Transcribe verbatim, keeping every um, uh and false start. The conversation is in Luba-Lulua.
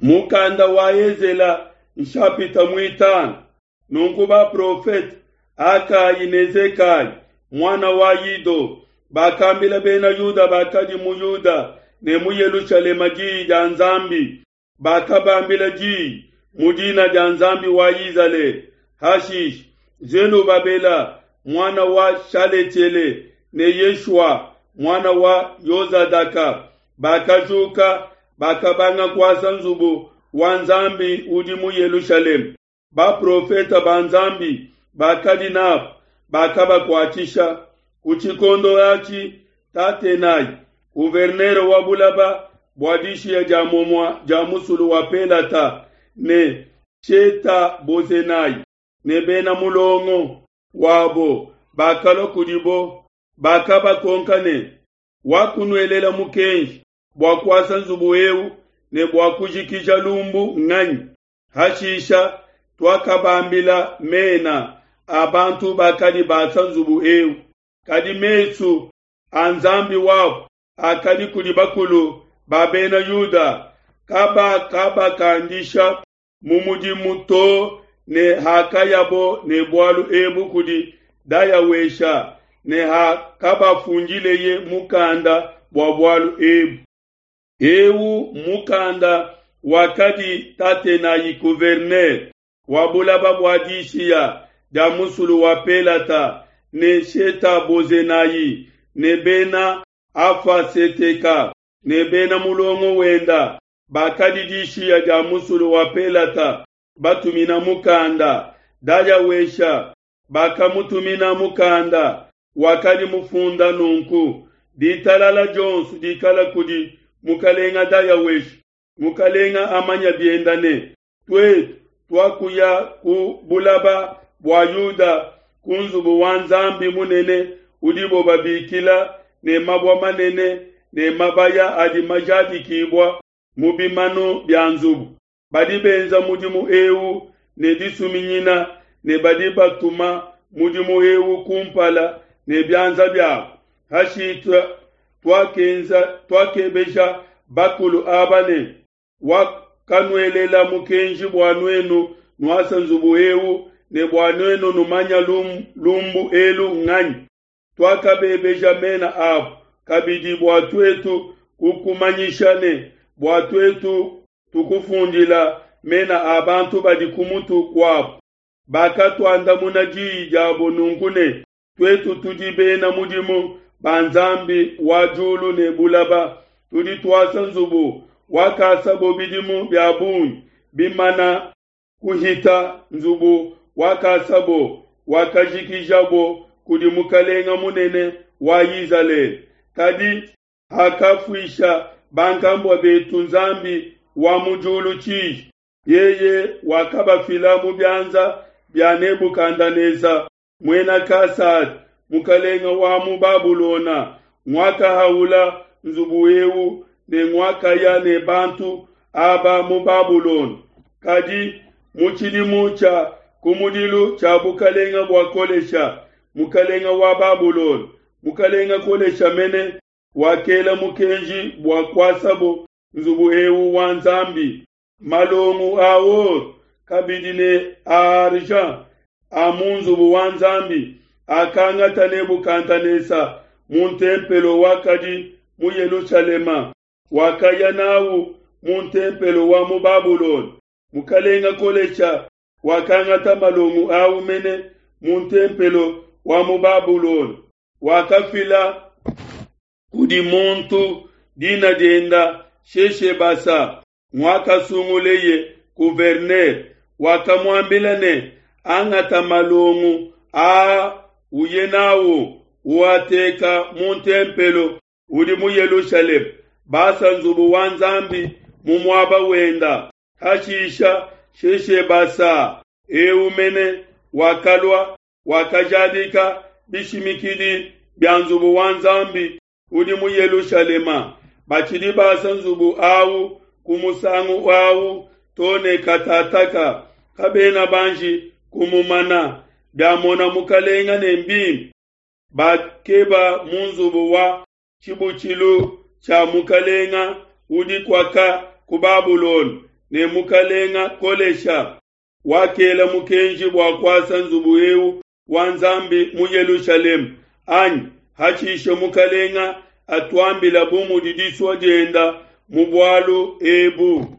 Mukanda wa Ezela nshapita muitanu. Nunku baprofete Hagai ne Zekaya muana wa Ido bakambila bena Yuda bakadi mu Yuda ne mu Yelushalema diyi dia Nzambi, bakabambila diyi mu dina dia Nzambi wa Izalele. Hashishe Zelubabela muana wa Shaletiele ne Yeshua muana wa Yozadaka bakajuka, bakabanga kuasa nzubu wa Nzambi udi mu Yelushalema. Baprofete ba Nzambi bakadi nabo bakabakuatshisha. Ku tshikondo atshi Tatenai, gouverneur wa bulaba bua dishiya dia muomua dia musulu wa Pelata, ne Sheta-Bozenai ne bena mulongo wabo bakalua kudibo, bakabakonka ne, Wakunuelela mukenji bua kuasa nzubu eu ne bua kujikija lumbu nganyi? Hashisha tuakabambila mena a bantu bakadi basa nzubu eu. Kadi mesu a Nzambi wabo akadi kudi bakulu ba Bena Yuda, kabakabakandisha mu mudimu to ne hakayabo ne bualu ebu kudi Dayawesha ne hakabafundileye mukanda bua bualu ebu. Eu mukanda wakadi Tatenai gouverneur wa bulaba bua dishiya dia musulu wa Pelata ne Sheta-Bozenai ne bena Afaseteka ne bena mulongo wenda bakadi dishiya dia musulu wa Pelata batumina mukanda. Dayawesha bakamutumina mukanda wakadi mufunda nunku: ditalala dionso dikala kudi mukalenga Dayawesha. Mukalenga amanya bienda ne tuetu tuakuya ku bulaba bua Yuda ku nzubu wa Nzambi munene udibo babikila ne mabua manene ne mabaya adi majadikibua mu bimanu bia nzubu. Badi benza mudimu eu ne disuminyina ne badi batuma mudimu eu kumpala ne bianza biabo. Hashisha tuakenza tuakebeja bakulu aba ne, wakanuelela mukenji bua nuenu nuasa nzubu eu ne bua nuenu numanya lumbu elu nganyi? Tuakabebeja mena abo kabidi bua tuetu kukumanyisha ne bua tuetu tukufundila mena a bantu badi ku mutu kuabo. Bakatuandamuna diyi diabo nunku ne, tuetu tudi bena mudimu ba Nzambi wa diulu ne bulaba, tudi tuasa nzubu wakasabo bidimu bia bungi bimana kuhita, nzubu wakasabo wakajikijabo kudi mukalenga munene wa Izalele. Kadi hakafuisha bankambua betu Nzambi wa mu diulu tshiji, yeye wakabafila mu bianza bia Nebukadenesa muena Kasada, mukalenga wa mu Babulona, nguakahaula nzubu eu ne nguakaya ne bantu aba mu Babulona. Kadi mu tshidimu tshia kumudilu tshia bukalenga bua Kolesha, mukalenga wa Babulona, mukalenga Kolesha mene wakela mukenji bua kuasabo nzubu eu wa Nzambi. Malongu a or kabidi ne a argent a mu nzubu wa Nzambi akangata Nebukadenesa mu ntempelo wakadi mu Yelushalema, wakaya nawu mu ntempelo wa mu Babulona. Mukalenga Kolesha wakangata malongu awu mene mu ntempelo wa mu Babulona, wakafila kudi muntu dina dienda Sheshebasa nguakasunguleye gouverneur. Wakamuambila ne, angata malongu aa uye nawu uateka mu ntempelo udi mu Yelushalema, basa nzubu wa Nzambi mu muaba wenda. Hashisha Sheshebasa eu mene wakalua wakajadika bishimikidi bia nzubu wa Nzambi udi mu Yelushalema. Batshidi basa nzubu awu ku musangu awu to ne katataka, kabena banji kumumana. Biamona mukalenga ne mbimpe, bakeba mu nzubu wa tshibutshilu tshia mukalenga udi kuaka ku Babulona, ne mukalenga Kolesha wakela mukenji bua kuasa nzubu eu wa Nzambi mu Yelushalema, anyi? Hashishe mukalenga atuambila bu mudi disua dienda mu bualu ebu.